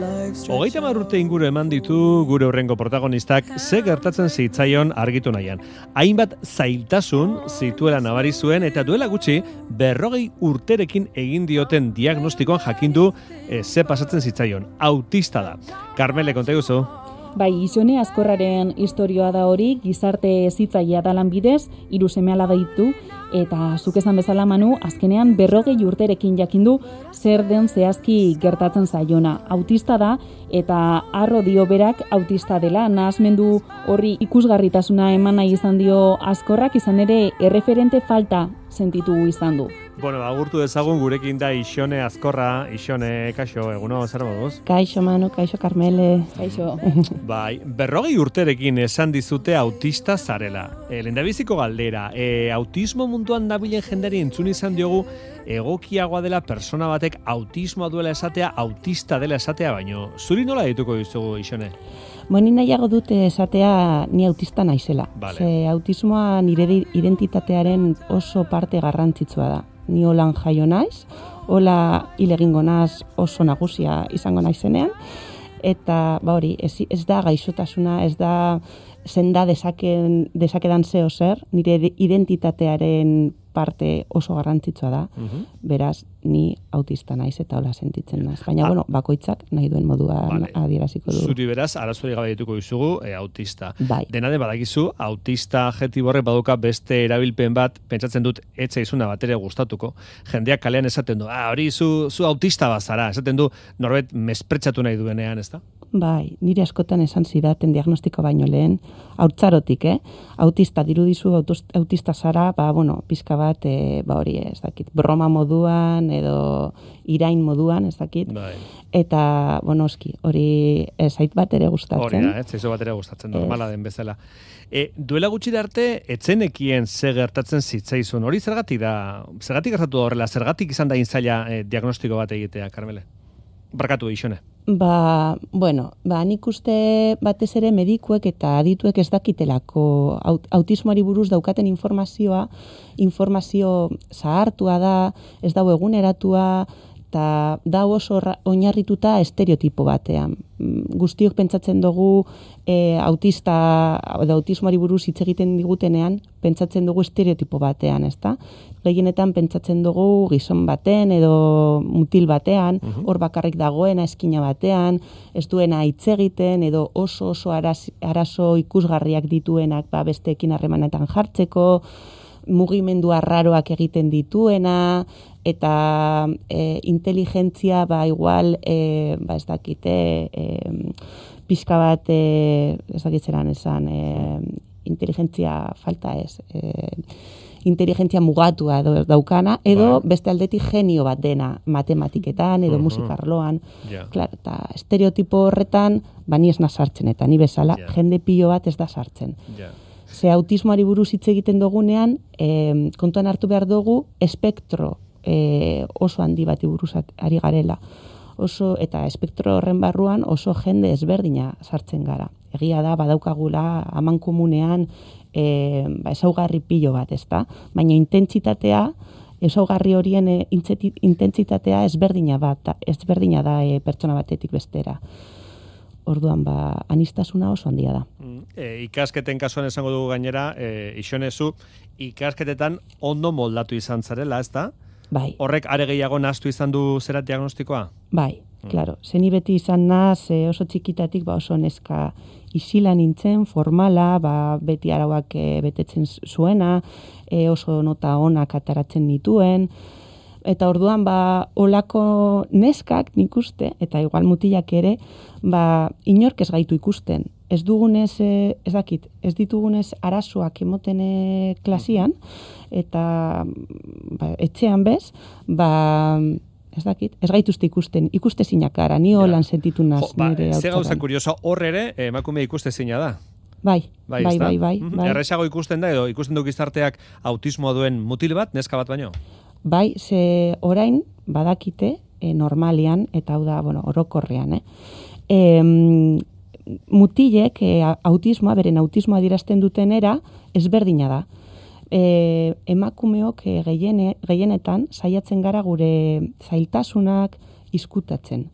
30 urte inguru eman ditu gure hurrengo protagonistak ze gertatzen zitzaion argitu nahian. Hainbat zailtasun zituela nabari zuen eta duela gutxi 40 urterekin egin dioten diagnostikoan jakindu ze pasatzen zitzaion. Autista da. Carmele, konta guzu? Bai, Ixone Azkorraren istorioa da hori, gizarte hezitzailea da lanbidez, 3 seme-alaba ditu, eta zuk esan bezala Manu, azkenean 40 urterekin jakindu zer den zehazki gertatzen zaiona. Autista da, eta harro dio berak autista dela, nahasmendu horri ikusgarritasuna eman nahi izan dio Azkorrak, izan ere erreferente falta sentitu izan du. Bueno, agurtu dezagun gurekin da Ixone Azkorra. Ixone, kaixo, eguno, zer moduz? Kaixo Manu, kaixo Carmele. Kaixo. Bai, 40 urterekin esan dizute autista zarela. Lehendabiziko galdera, autismo munduan dabilen jendari entzun izan diogu egokiagoa dela persona batek autismoa duela esatea, autista dela esatea, baino zuri nola dituko dizugu, Ixone? Ni nahiago dute esatea ni autista naizela. Vale. Ze autismoa nire identitatearen oso parte garrantzitsua da. Ni holan jaio naiz, hola hil egingo naiz oso nagusia izango naizenean, eta hori, ez da gaixotasuna, ez da senda desakedan zeo zer, nire identitatearen parte oso garrantzitsua da, beraz, ni autista naiz eta hola sentitzen naiz. Baina, bakoitzak nahi duen moduan adieraziko du. Zuri beraz, arazorik gabe dituko dizugu, autista. Bai. Dena den badakizu, autista adjektibo horrek baduka beste erabilpen bat, pentsatzen dut, etzaizuna bat ere gustatuko. Jendeak kalean esaten du, hori zu autista bazara, esaten du, norbait mespretsatu nahi duenean, ezta? Bai, nire askotan esan zidaten diagnostiko baino lehen, haurtzarotik, autista dirudizu, autista zara, pizka bat, hori ez dakit, broma moduan, edo irain moduan, ez dakit. Bai. Eta, oski, hori zait bat ere gustatzen. Hori da, zaizu bat ere gustatzen, normala den bezala. Duela gutxi arte, etzenekien ze gertatzen zitzaizun. Hori zergatik gertatu da horrela, zergatik izan da inzaila diagnostiko bat egitea, Carmele? Barkatu, Ixone. Nik uste batez ere medikuek eta adituek ez dakitelako autismoari buruz daukaten informazio zahartua da, ez dago eguneratua, eta da oso oinarrituta estereotipo batean. Guztiok pentsatzen dugu autista edo autismoari buruz hitz egiten digutenean, pentsatzen dugu estereotipo batean, ezta? Gehienetan pentsatzen dugu gizon baten edo mutil batean, hor bakarrik dagoena eskina batean, ez duena hitz egiten edo oso arazo ikusgarriak dituenak besteekin harremanetan jartzeko, mugimendu arraroak egiten dituena, eta inteligentzia igual, ez dakite, pixka bat, ez dakitzeran esan, inteligentzia falta ez, inteligentzia mugatua daukana, edo beste aldetik genio bat dena matematiketan, edo musikarloan. Claro, eta estereotipo horretan, ni ez sartzen, eta ni bezala, jende pilo bat ez da sartzen. Ze autismoari buruz hitz egiten dugunean, kontuan hartu behar dugu, espektro oso handi bati buruz ari garela. Eta espektro horren barruan oso jende ezberdina sartzen gara. Egia da, badaukagula amankomunean ezaugarri pilo bat, ezta? Baina intentsitatea, ezaugarri horien intentsitatea ezberdina da pertsona batetik bestera. Orduan, anistasuna oso handia da. Ikasketen kasuan esango dugu gainera, Ixonezu, ikasketetan ondo moldatu izan zarela, ezta? Bai. Horrek are gehiago nahastu izan du zera diagnostikoa? Bai, claro. Zeni beti izan naz, oso txikitatik oso neska isila nintzen, formala, beti arauak betetzen zuena, oso nota onak ataratzen nituen, eta orduan, olako neskak nik uste, eta igual mutilak ere, inork ez gaitu ikusten. Ez ditugunez arazoak emoten klasian, eta etxean bez, ez gaituzte ikuste zinakara, ni holan sentitu naz nire hautzaran. Ze gauza kurioso, hor ere, emakume ikuste zina da. Bai. Erresago ikusten da, edo ikusten du gizarteak autismoa duen mutil bat, neska bat baino? Bai, ze orain badakite normalian, eta hau da, orokorrean, mutilek beren autismoa dirazten dutenera ezberdina da. Emakumeok gehienetan saiatzen gara gure zailtasunak izkutatzen.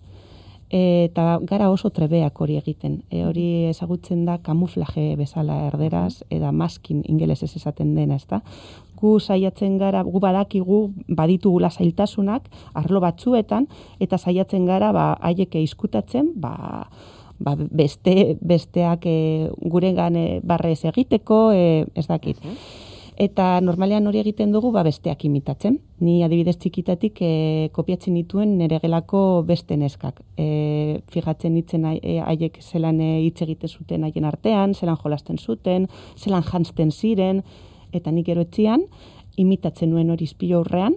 eta gara oso trebeak hori egiten. Hori ezagutzen da kamuflaje bezala erderaz, eta maskin ingelesez esaten dena, ezta? Gu saiatzen gara, gu badakigu baditugula zailtasunak arlo batzuetan, eta saiatzen gara haiek izkutatzen, besteak gurengan barrez egiteko, ez dakit. Eta normalean hori egiten dugu besteak imitatzen. Ni adibidez txikitatik kopiatzen dituen nire gelako beste neskak. Fijatzen nitzen haiek zelan hitz egiten zuten haien artean, zelan jolasten zuten, zelan jantzten ziren, eta nik gero etzian imitatzen nuen hori izpilo aurrean,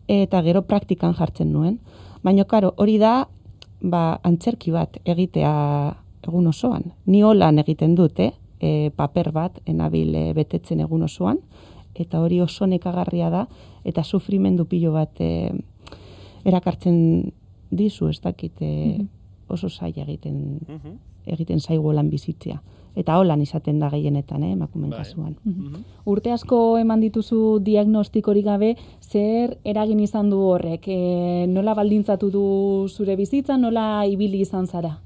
eta gero praktikan jartzen nuen. Baina, karo, hori da antzerki bat egitea egun osoan. Ni holan egiten dut, paper bat enabil betetzen egun osoan, eta hori oso nekagarria da, eta sufrimendu pilo bat erakartzen dizu, ez dakit oso zaila egiten zaigu lan bizitzea. Eta holan izaten da gehienetan, emakumeen kasuan. Urte asko eman dituzu diagnostikorik gabe, zer eragin izan du horrek? Nola baldintzatu du zure bizitza, nola ibili izan zara?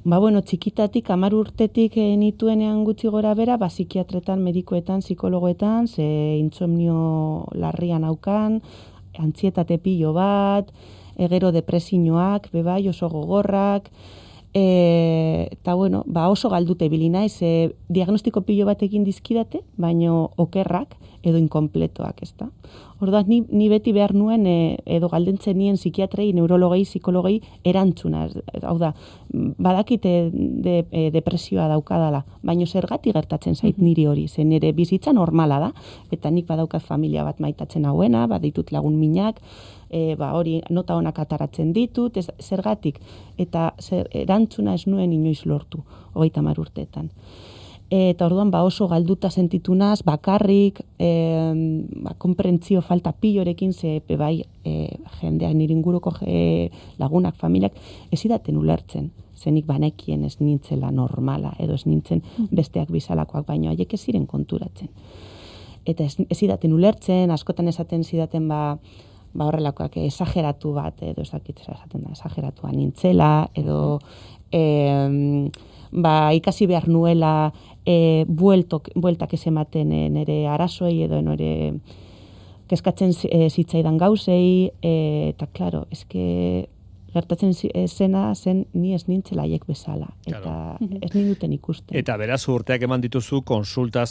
Txikitatik, 10 urtetik nituenean gutxi gora bera, psikiatretan, medikoetan, psikologoetan, ze insomnio larrian aukan, antzietate pilo bat, gero depresioak, bebai, oso gogorrak, eta oso galdute ibili naiz, diagnostiko pilo bat egin dizkidate, baino okerrak edo inkompletoak, ezta? Orduan, ni beti behar nuen, edo galdentzen nien psikiatrei, neurologei, psikologei erantzuna. Hau da, badakite depresioa daukadala, baino zergatik gertatzen zait niri hori, zen nire bizitza normala da, eta nik badaukat familia bat maitatzen hauena, baditut lagun minak, hori nota honak ataratzen ditut, zergatik, eta erantzuna ez nuen inoiz lortu, 30 urteetan. Eta orduan oso galduta sentitunaz, bakarrik, konprentzio falta pilorekin, ze jendeak nire inguruko lagunak, familiak, ez idaten ulertzen. Zenik banekien ez nintzela normala, edo ez nintzen besteak bizalakoak, baino haiek ez ziren konturatzen. Eta ez idaten ulertzen, askotan esaten zidaten horrelakoak esageratu bat, edo esaten da, esageratua nintzela, edo ikasi behar nuela bueltak ez ematen nire arazoei edo nire kezkatzen zitzaidan gauzei, eta klaro, gertatzen zena zen ni ez nintzela haiek bezala, eta ez ninduten ikusten. Eta beraz urteak eman dituzu konsulta,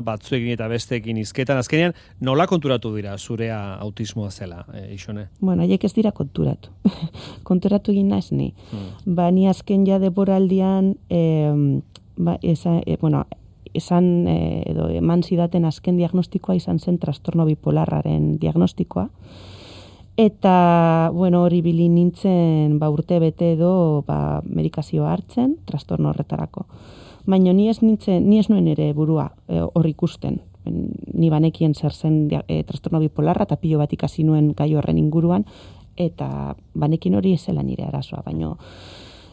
batzuekin eta besteekin hizketan, azkenean nola konturatu dira zurea autismoa zela, Ixone? Haiek ez dira konturatu. Konturatu egin naiz ni. Ni azken ja deboraldian, eman zidaten azken diagnostikoa izan zen trastorno bipolarraren diagnostikoa. Eta, hori bili nintzen urte bete edo medikazioa hartzen, trastorno horretarako. Baina ni ez nuen ere burua hor ikusten. Ni banekien zer zen trastorno bipolarra eta pilo bat ikasi nuen gai horren inguruan, eta banekin hori ez zela nire arazoa, baina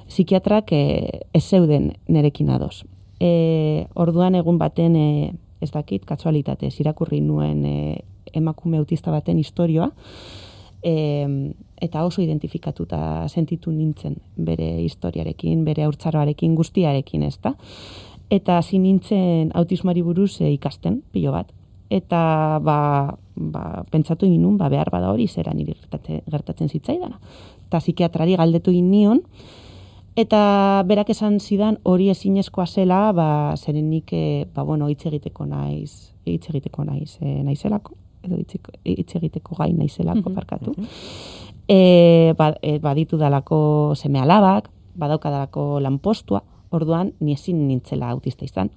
psikiatrak ez zeuden nerekin ados. Orduan egun baten, ez dakit, kasualitatez irakurri nuen emakume autista baten istorioa, eta oso identifikatuta sentitu nintzen bere historiarekin, bere haurtzaroarekin, guztiarekin, ezta? Eta hasi nintzen autismoari buruz ikasten, pilo bat. Eta pentsatu egin nun, behar bada hori zera niri gertatzen zitzaidana. Eta psikiatrari galdetu egin nion, eta berak esan zidan hori ezinezkoa zela, zeren nik hitz egiteko naizelako, edo hitz egiteko gai naizelako parkatu. Baditu dalako seme alabak, badaukadalako lanpostua, orduan ni ezin nintzela autista izan.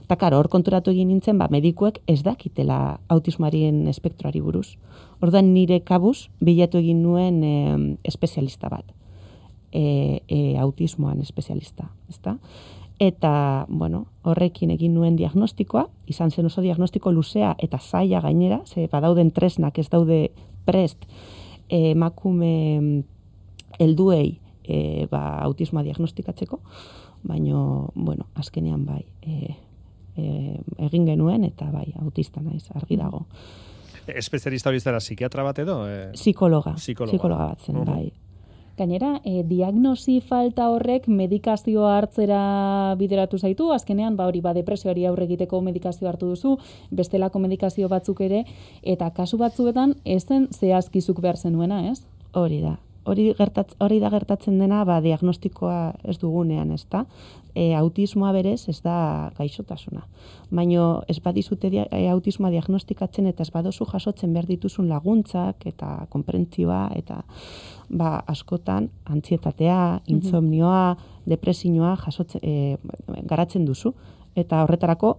Eta karo, hor konturatu egin nintzen, medikuek ez dakitela autismoaren espektroari buruz. Orduan nire kabuz bilatu egin nuen espezialista bat. Autismoan espezialista, ezta? Eta, horrekin egin nuen diagnostikoa, izan zen oso diagnostiko luzea eta zaila gainera, ze badauden tresnak ez daude prest emakume helduei autismoa diagnostikatzeko, baina, azkenean egin genuen eta autista naiz, argi dago. Espezialista hori zara psikiatra bat edo? Psikologa bat zen, bai. Gainera, diagnosi falta horrek medikazioa hartzera bideratu zaitu, azkenean, hori depresioari aurre egiteko medikazio hartu duzu, bestelako medikazio batzuk ere, eta kasu batzuetan ezen zehazkizuk behar zenuena, ez? Hori da. Hori da gertatzen dena, diagnostikoa ez dugunean, ez da? Autismoa berez ez da gaixotasuna. Baina ez badizute autismoa diagnostikatzen eta ez badozu jasotzen behar dituzun laguntzak eta konprentzioa eta askotan antzietatea, insomnioa, depresioa garatzen duzu. Eta horretarako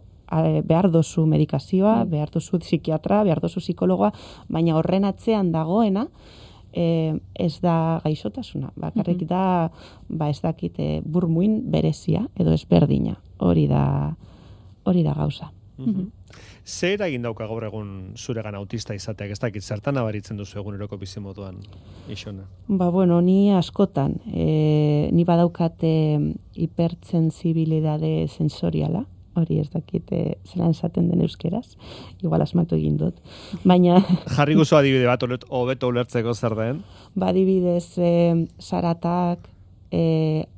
behar dozu medikazioa, behar dozu psikiatra, behar dozu psikologoa, baina horren atzean dagoena ez da gaixotasuna. Bakarrik da, ez dakit, burmuin berezia edo ezberdina. Hori da gauza. Zer eragin dauka gaur egun zuregan autista izateak, ez dakit, zertan nabaritzen duzu eguneroko bizimoduan, Ixone? Ni askotan, ni badaukate hipertsensibilidade sensoriala, hori ez dakit zelan esaten den euskeraz, igual asmatu egin dut. Baina... Jarri guzu adibide bat, hobeto ulertzeko zer den? Adibidez, zaratak,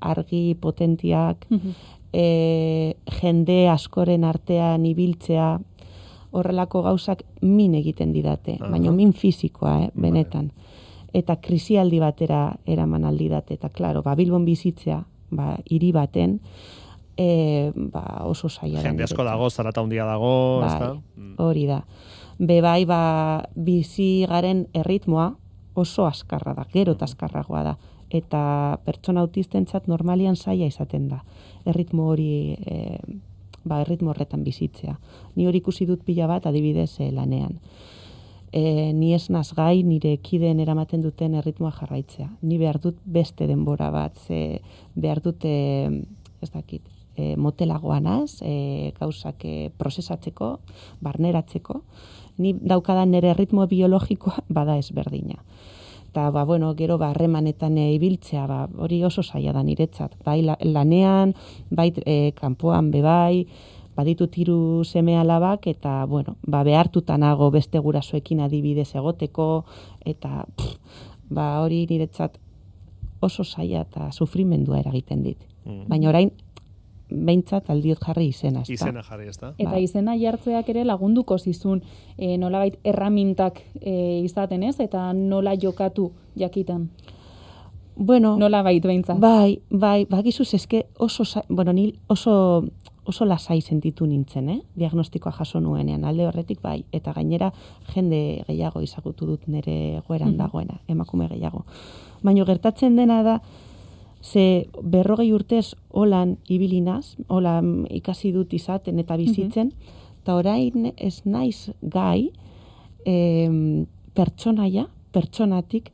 argi potentiak, jende askoren artean ibiltzea, horrelako gauzak min egiten didate, baina min fizikoa, benetan. Eta krisialdi batera eraman aldidate, eta klaro, Bilbon bizitzea, hiri baten, oso zaila da. Jende asko dago, zarata handia dago, ezta? Hori da. Bizi garen erritmoa oso askarra da, gero eta askarragoa da. Eta pertsona autistentzat normalian zaila izaten da. Erritmo hori, erritmo horretan bizitzea. Ni hori ikusi dut pila bat adibidez lanean. Ni ez naz gai nire kideen eramaten duten erritmoa jarraitzea. Ni behar dut beste denbora bat, behar dut, ez dakit, motelagoa naz, gauzak prozesatzeko, barneratzeko. Ni daukadan nire erritmo biologikoa bada ezberdina. Eta, gero harremanetan ibiltzea, hori oso zaila da niretzat. Bai lanean, bai kanpoan bebai, baditut 3 seme alabak, eta, behartuta nago beste gurasoekin adibidez egoteko, eta, hori niretzat oso zaila eta sufrimendua eragiten dit. Baina orain, behintzat aldiot jarri izena, ez da? Izena jarri, ez da? Eta izena jartzeak ere lagunduko zizun nolabait erramintak izaten, ez? Eta nola jokatu jakitan? Nolabait behintzat? Bai, bagizuz eske ni oso lasai sentitu nintzen, diagnostikoa jaso nuenean, alde horretik bai, eta gainera jende gehiago izagutu dut nire goeran dagoena, emakume gehiago. Baina gertatzen dena da, ze 40 urtez holan ibilinaz, holan ikasi dut izaten eta bizitzen, eta orain ez naiz gai pertsonatik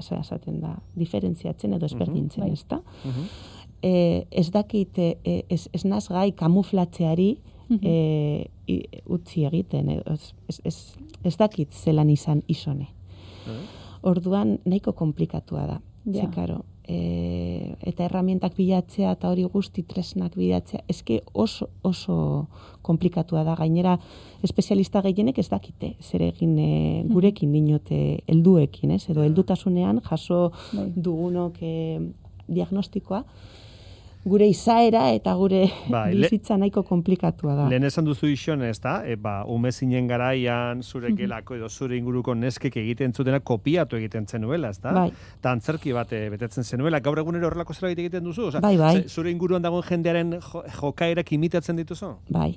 esaten da, diferentziatzen edo ezberdintzen, ez da? Ez dakit, ez naz gai kamuflatzeari utzi egiten, ez dakit zelan izan Ixone. Orduan nahiko komplikatua da. Zekaro, eta herramientak bilatzea eta hori guzti tresnak bilatzea, eske oso komplikatua da. Gainera, espezialista gehienek ez dakite, zer egin gurekin dinote helduekin, edo heldutasunean jaso dugunok diagnostikoa, gure izaera eta gure bizitza nahiko komplikatua da. Lehen esan duzu Ixone, ez da? Ume zinen garaian, zure gelako edo zure inguruko neskek egiten zutena kopiatu egiten zenuela, ez da? Bai. Eta antzerki bat betetzen zenuela. Gaur egunero horrelako zerbait egiten duzu? Bai. Zure inguruan dagoen jendearen jokaerak imitatzen dituzu? Bai,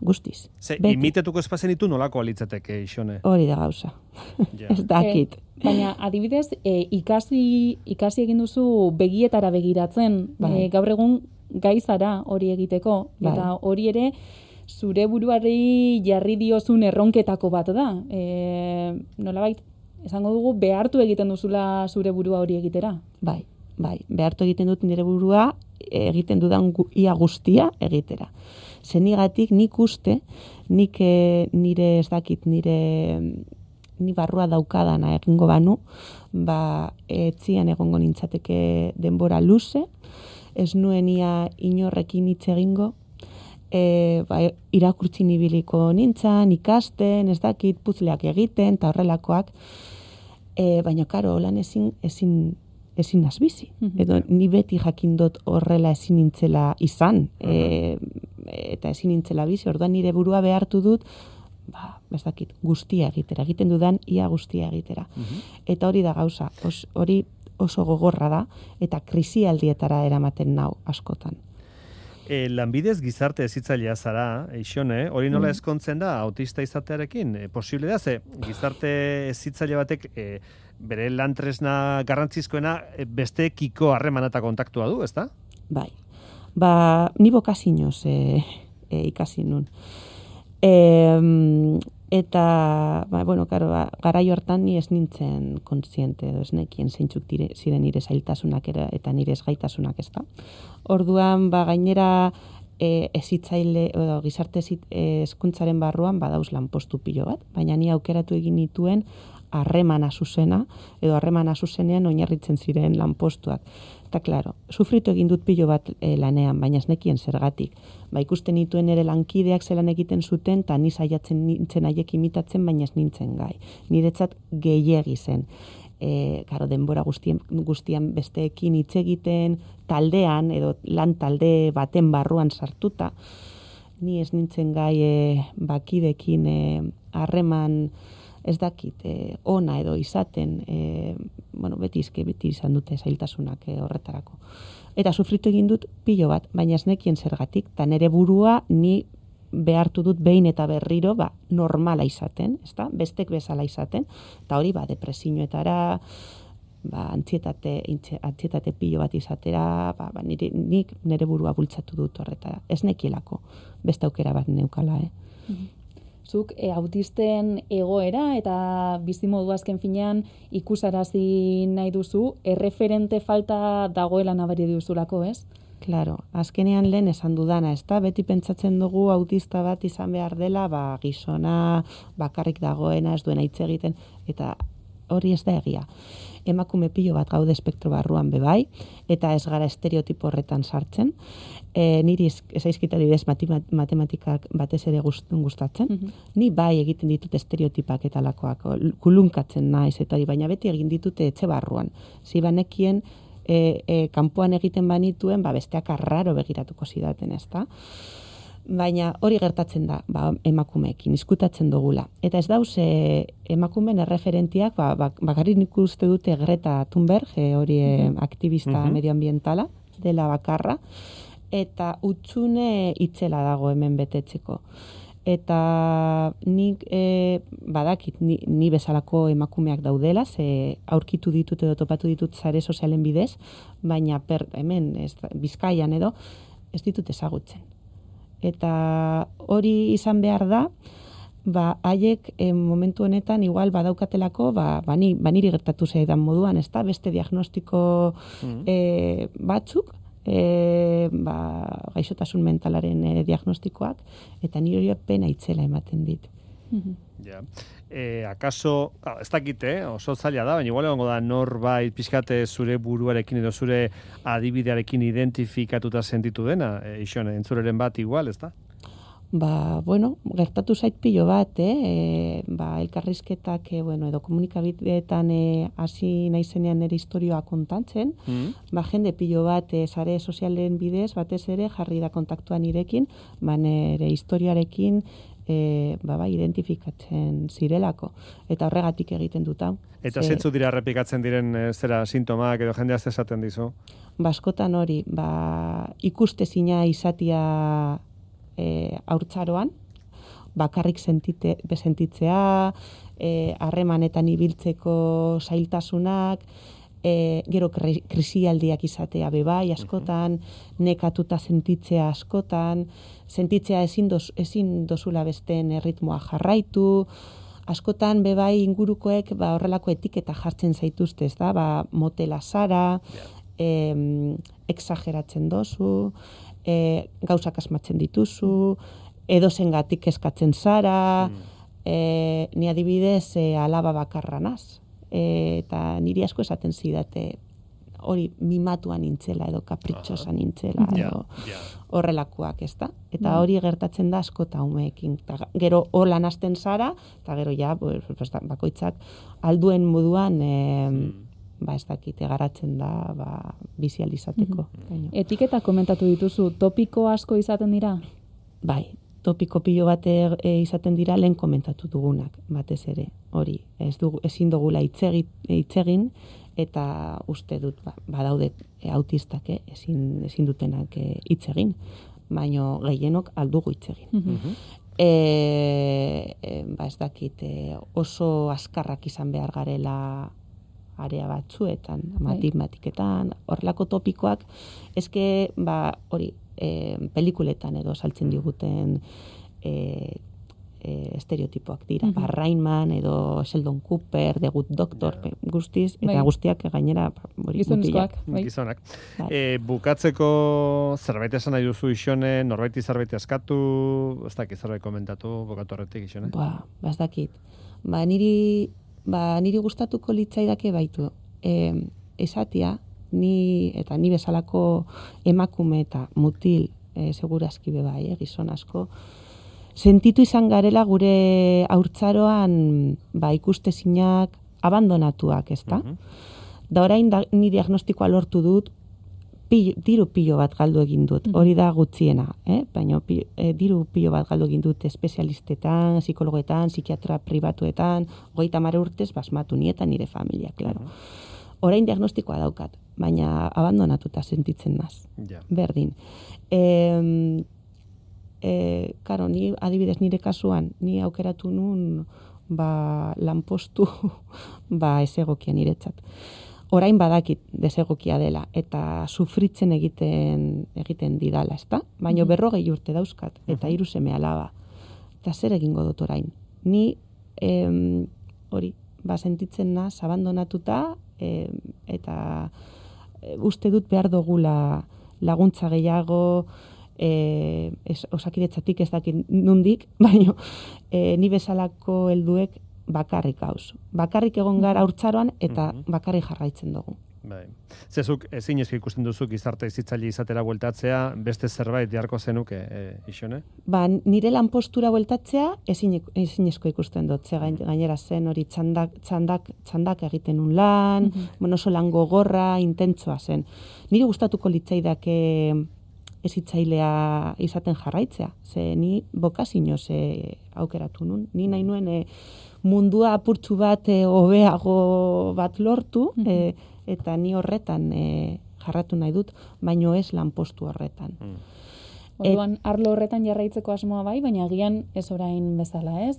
guztiz. Imitatuko espazen ditu nolako alitzateke, Ixone? Hori da gauza. Ez dakit. Baina, adibidez, ikasi egin duzu begietara begiratzen, gaur egun gaizara hori egiteko, eta hori ere zure buruari jarri diozun erronketako bat da. Nolabait, esango dugu, behartu egiten duzula zure burua hori egitera. Bai, behartu egiten dut nire burua, egiten dudan ia guztia egitera. Zenigatik nik uste, nik nire ez dakit, ni barrua daukadana egingo banu, etzian egongo nintzateke denbora luze, ez nuen ia inorrekin hitz egingo, irakurtzin ibiliko nintzan, ikasten, ez dakit, puzzleak egiten, eta horrelakoak, Baina, karo, holan ezin nazbizi. Edo ni beti jakindot horrela ezin nintzela izan, eta ezin nintzela bizi, orduan nire burua behartu dut, ez dakit, guztia egitera, egiten dudan ia guztia egitera. Eta hori da gauza, hori oso gogorra da, eta krisialdietara eramaten nau askotan. Lanbidez gizarte hezitzailea zara, Ixone, hori nola ezkontzen da autista izatearekin? Posible da, ze gizarte hezitzaile batek bere lantresna garrantzizkoena besteekiko harreman eta kontaktua du, ezta? Bai. Ni bokazinoz ikasi nun. Eta, garai hortan ni ez nintzen kontziente, edo ez nekien zeintzuk ziren nire zailtasunak eta nire ezgaitasunak, ezta. Orduan, gainera hezitzaile, gizarte hezkuntzaren barruan badauz lanpostu pilo bat, baina ni aukeratu egin nituen harremana zuzena, edo harremana zuzenean oinarritzen ziren lanpostuak. Eta, klaro, sufritu egin dut pilo bat lanean, baina ez nekien zergatik. Ikusten nituen ere lankideak zelan egiten zuten, eta ni saiatzen nintzen haiek imitatzen, baina ez nintzen gai. Niretzat gehiegi zen. Denbora guztian besteekin hitz egiten, taldean, edo lan talde baten barruan sartuta, ni ez nintzen gai bakidekin harreman ez dakit, ona edo izaten, beti izan dute zailtasunak horretarako. Eta sufritu egin dut pilo bat, baina ez nekien zergatik, eta nire burua ni behartu dut behin eta berriro normala izaten, ezta? Bestek bezala izaten, eta hori depresioetara, antsietate pilo bat izatera, nik nire burua bultzatu dut horretara. Ez nekielako, beste aukera bat neukala, Zuk autisten egoera eta bizimodu azken finean ikusarazi nahi duzu, erreferente falta dagoela nabari duzulako, ez? Claro, azkenean lehen esan dudana, ezta? Beti pentsatzen dugu autista bat izan behar dela, gizona, bakarrik dagoena, ez duena hitz egiten, eta hori ez da egia. Emakume pilo bat gaude espektro barruan bebai, eta ez gara estereotipo horretan sartzen. Niri ezaizkita didez matematikak batez ere gustatzen. Ni bai egiten ditut estereotipak eta lakoak, kulunkatzen naiz eta hori, baina beti egin ditute etxe barruan. Zibanekien kanpoan egiten banituen, besteak arraro begiratuko zidaten, ezta? Baina hori gertatzen da emakumeekin, izkutatzen dugula. Eta ez dauz emakumeen erreferentiak, bakarrik nik uste dute Greta Thunberg, hori aktivista medioambientala, dela bakarra, eta utzune itzela dago hemen betetzeko. Eta nik badakit ni bezalako emakumeak daudela, ze aurkitu ditut edo topatu ditut sare sozialen bidez, baina hemen Bizkaian edo ez ditut ezagutzen. Eta hori izan behar da, haiek momentu honetan igual badaukatelako, niri gertatu zaidan moduan, ez da, beste diagnostiko batzuk, gaixotasun mentalaren diagnostikoak, eta niri hori pena itzela ematen dit. Ja. Akaso, ez dakit, oso zaila da, baina igual egongo da norbait pixkate zure buruarekin edo zure adibidearekin identifikatuta sentitu dena, Ixone, entzuleren bat igual, ez da? Gertatu zait pilo bat, elkarrizketak, edo komunikabideetan hasi naizenean nire historioa kontatzen, jende pilo bat sare sozialen bidez, batez ere jarri da kontaktua nirekin, nire historiarekin identifikatzen zirelako. Eta horregatik egiten dut hau. Eta zeintzu dira errepikatzen diren sintomak edo jendea esaten dizu? Askotan hori, ikustezina izatia haurtzaroan, bakarrik sentitzea, harremanetan ibiltzeko zailtasunak, gero krisialdiak izatea bebai askotan, nekatuta sentitzea askotan, sentitzea ezin dozula besteen erritmoa jarraitu, askotan bebai ingurukoek horrelako etiketa jartzen zaituzte, ez da, motela zara, exageratzen dozu, gauzak asmatzen dituzu, edozengatik eskatzen zara, ni adibidez alaba bakarra naz. Eta niri asko esaten zidate hori mimatuan nintzela edo kapritxosa nintzela edo horrelakoak, ez da? Eta hori gertatzen da asko eta umeekin. Gero holan hasten zara, eta gero ja, bakoitzak alduen moduan ez dakite garatzen da bizializateko. Etiketa komentatu dituzu, topiko asko izaten dira? Bai, topiko pilo bat izaten dira lehen komentatu dugunak, batez ere, hori. Ezin dugula hitz egin, eta uste dut, badaude autistak, ezin dutenak hitz egin, baino gehienok aldugu hitz egin. Ez dakit, oso azkarrak izan behar garela area batzuetan, matematiketan, horrelako topikoak, eske, hori, pelikuletan edo saltzen diguten estereotipoak dira. Rainman edo Sheldon Cooper, The Good Doctor, guztiz, eta guztiak gainera gizonezkoak. Gizonak. Bukatzeko zerbait esan nahi duzu, Ixone, norbaiti zerbait eskatu, ez dakit zerbait komentatu, bukatu horretik, Ixone? Ez dakit. Niri gustatuko litzaidake baitu. Esatia, ni bezalako emakume eta mutil segurazki bebai, gizon asko, sentitu izan garela gure haurtzaroan ikustezinak abandonatuak, ez da? Da orain ni diagnostikoa lortu dut, diru pilo bat galdu egin dut, hori da gutxiena, baina diru pilo bat galdu egin dut espezialistetan, psikologetan, psikiatra pribatuetan, 30 urtez basmatu nieta nire familia, klaro. Orain diagnostikoa daukat, baina abandonatuta sentitzen naz. Berdin. Karo, ni adibidez nire kasuan, ni aukeratu nun lanpostu ezegokia niretzat. Orain badakit desegokia dela, eta sufritzen egiten didala, ezta? Baina 40 urte dauzkat, eta 3 seme alaba. Eta zer egingo dut orain? Ni, hori, sentitzen naz, abandonatuta, eta uste dut behar dugula laguntza gehiago, Osakidetzatik ez dakit nundik, baina ni bezalako helduek bakarrik gauz. Bakarrik egon gara haurtzaroan eta bakarrik jarraitzen dugu. Bai. Zezuk ezin eski ikusten duzu gizarte izitzaile izatera bueltatzea, beste zerbait beharko zenuke, Ixone? Nire lanpostura bueltatzea ezinezko ikusten dut, gainera zen hori txandak egiten un lan, oso lan gogorra, intentsoa zen. Niri gustatuko litzaidake ezitzailea izaten jarraitzea, ze ni bokazinoz aukeratu nun. Ni nahi nuen mundua apurtxu bat hobeago bat lortu, eta ni horretan jarratu nahi dut, baino ez lanpostu horretan. Orduan, arlo horretan jarraitzeko asmoa bai, baina agian ez orain bezala, ez?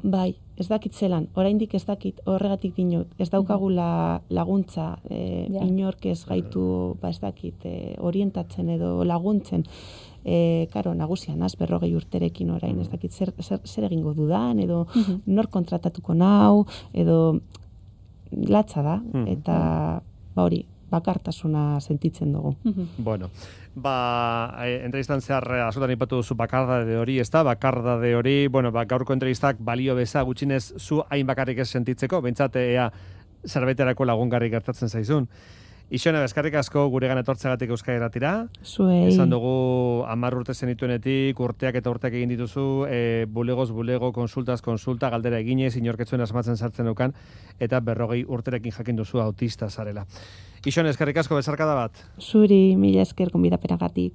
Bai, ez dakit zelan, oraindik ez dakit horregatik dinot, ez daukagula laguntza, inork ez gaitu, ez dakit, orientatzen edo laguntzen, karo, nagusian, 40 urterekin orain, ez dakit zer egingo dudan, edo nor kontratatuko nau, edo latza da, eta hori, bakartasuna sentitzen dugu. Bueno, entrevistan zehar askotan ipatu duzu bakardade hori, ez da? Bakardade hori, gaurko entrevistak balio beza gutxinez zu hain bakarrik ez sentitzeko, behintzat ea zerbaiterako lagungarri gertatzen zaizun. Ixone, eskerrik asko guregan etortzeagatik Euskal Irratira. Zuei. Esan dugu 10 urte zenituenetik, urteak eta urteak egin dituzu, bulegoz bulego, konsultaz konsulta, galdera eginez, inorketzuen asmatzen sartzen dukan, eta 40 urterekin jakin duzu autista zarela. Ixone, eskerrik asko bezarkada bat. Zuri, mila esker gonbidapenagatik.